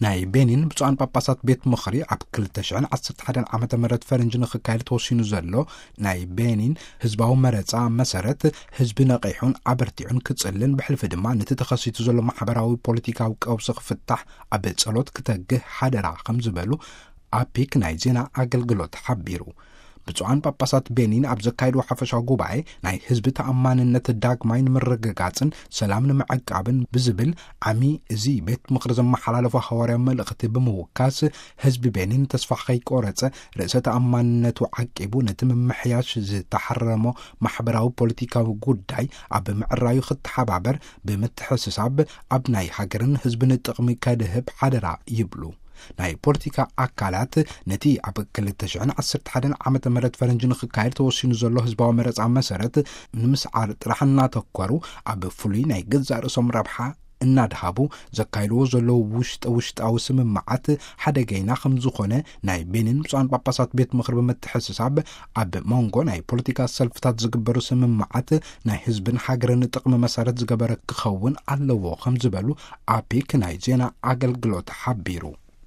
ናይ ቤኒን ብፁዓን ጳጳሳት ቤት ምኽሪ ኣብ ክልተ ሽሕን ዓሰርተ ሓደን ዓመተ ምህረት ፈረንጂ ንኽካየድ ተወሲኑ ዘሎ ናይ ቤኒን ህዝባዊ መረጻ መሰረት፣ ህዝቢ ነቒሑን ኣበርቲዑን ክጽልን፣ ብሕልፊ ድማ ነቲ ተኸሲቱ ዘሎ ማሕበራዊ ፖለቲካዊ ቀውሲ ክፍታሕ ኣብ ጸሎት ክተግህ ሓደራ ከም ዝበሉ ኣፒክ ናይ ዜና ኣገልግሎት ሓቢሩ። ብፁዓን ጳጳሳት ቤኒን ኣብ ዘካየድዎ ሓፈሻዊ ጉባኤ፣ ናይ ህዝቢ ተኣማንነት ዳግማይ ንምርግጋጽን ሰላም ንምዕቃብን ብዝብል ዓሚ፣ እዚ ቤት ምኽሪ ዘመሓላለፎ ሃዋርያዊ መልእኽቲ ብምውካስ፣ ህዝቢ ቤኒን ተስፋ ከይቆረጸ፣ ርእሰ ተኣማንነቱ ዓቂቡ፣ ነቲ ምምሕያሽ ዝተሓረሞ ማሕበራዊ ፖለቲካዊ ጉዳይ ኣብ ምዕራዩ ክተሓባበር ብምትሕስሳብ፣ ኣብ ናይ ሃገርን ህዝብን ጥቕሚ ከድህብ ሓደራ ይብሉ። ናይ ፖለቲካ ኣካላት ነቲ ኣብ ክልተ ሽሕን ዓሰርተ ሓደን ዓመተ ምህረት ፈረንጂ ንኽካየድ ተወሲኑ ዘሎ ህዝባዊ መረጻ መሰረት ንምስዓር ጥራሕ እናተኮሩ፣ ኣብ ፍሉይ ናይ ገዛእ ርእሶም ረብሓ እናድሃቡ ዘካይድዎ ዘለዉ ውሽጠ ውሽጣዊ ስምምዓት ሓደገይና ከም ዝኾነ ናይ ቤኒን ብፁዓን ጳጳሳት ቤት ምኽሪ ብምትሕስሳብ፣ ኣብ መንጎ ናይ ፖለቲካ ሰልፍታት ዝግበሩ ስምምዓት ናይ ህዝብን ሃገርን ጥቕሚ መሰረት ዝገበረ ክኸውን ኣለዎ ከም ዝበሉ ኣፒክ ናይ ዜና ኣገልግሎት ሓቢሩ።